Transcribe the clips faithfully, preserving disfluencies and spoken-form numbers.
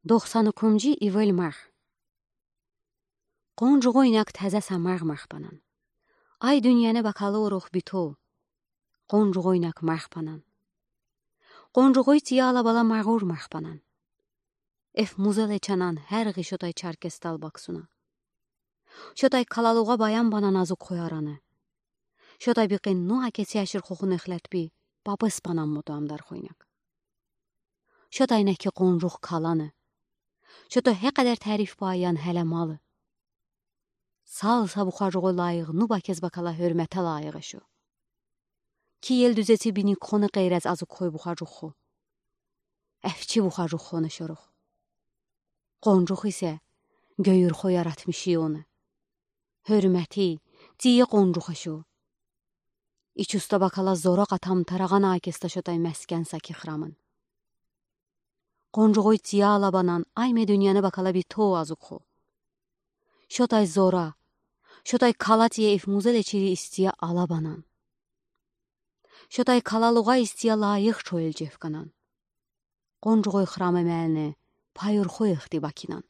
Доқсан экинджи ивел марх. Къонжугъойнак таза са марх марх банан. Ай дуниянэ бакалы орух битов. Къонжугъойнак марх банан. Къонжугъой тиялабала марх марх банан. Эф музел ечанан герги шотай чаркестал баксуна. Шотай калалугъа баян банан азук хой араны. Шотай бикъин нуа кеси ашир хохун эхлетби, папес банан мото амдар хойнак. Шотай неки къонжух каланы. Шото гекъедер тариф баян геле малы. Сал са бухажугъой лайых нуба кез бакала гёрмете лайых эшо. Киел дуьзети биник хоны къейрез азук хой бухажух хо. Эфчи бухажух хоны шорух. Къонжух исе гёйюр хо яратмиши оны. Гёрмети, тие къонжух эшо. Ичуста бакала зора къатам тарагъан акеста шотай мескен са ки храмын. Къонжугъой тиялабанан ай ме дуниянэ бакала битов азук хо. Шотай зора, шотай кала тие иф музел ечири истия алабанан. Шотай калалугъа истия лайых чоел чевканан. Къонжугъой храмэ мелни пайыр хо эхти бакинан.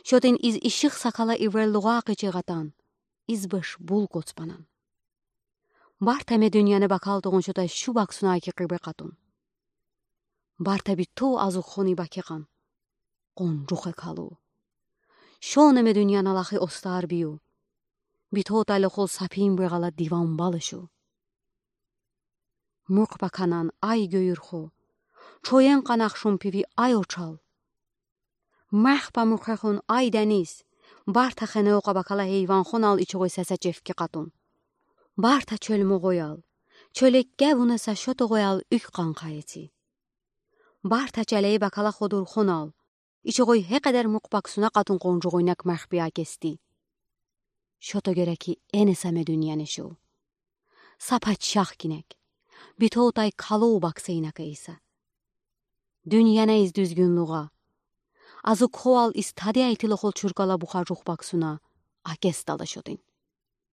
Шотин из иших сакала иверлугъа акъечегъатан, из беш бул коцпанан. Барта ме дуниянэ бакал тогъун шотай шу баксуна аки къибе къатун. Барта битов азук хони бакекъан. Къонжух э калу. Шоне ме дуниянэ лахи остар бию. Битов тали хол сапин бегъала диван балышу. Мух баканан ай гёйюр хо. Чоен къанах шумпиви ай очал. Мах ба мухехун ай дениз. Барта хене ока бакала гейван хонал ичугъой сесе чевки къатун. Барта чёл могъоял. Чёл экке вуна са шотогъоял уьк къанкъа эти. Барта чалей бакала ходур хонал. Ичугъой гекъедер мух баксуна къатун къонжугъойнак мах би акести. Шото гереки эне са ме дуниянэ шу. Са пачах кинек. Битов тай калу баксейнак эйса. Дуниянэ из дуьзгюнлугъа. Азук хоал из тади айтылы хол чуркала бухажух баксуна. Акестала шотин.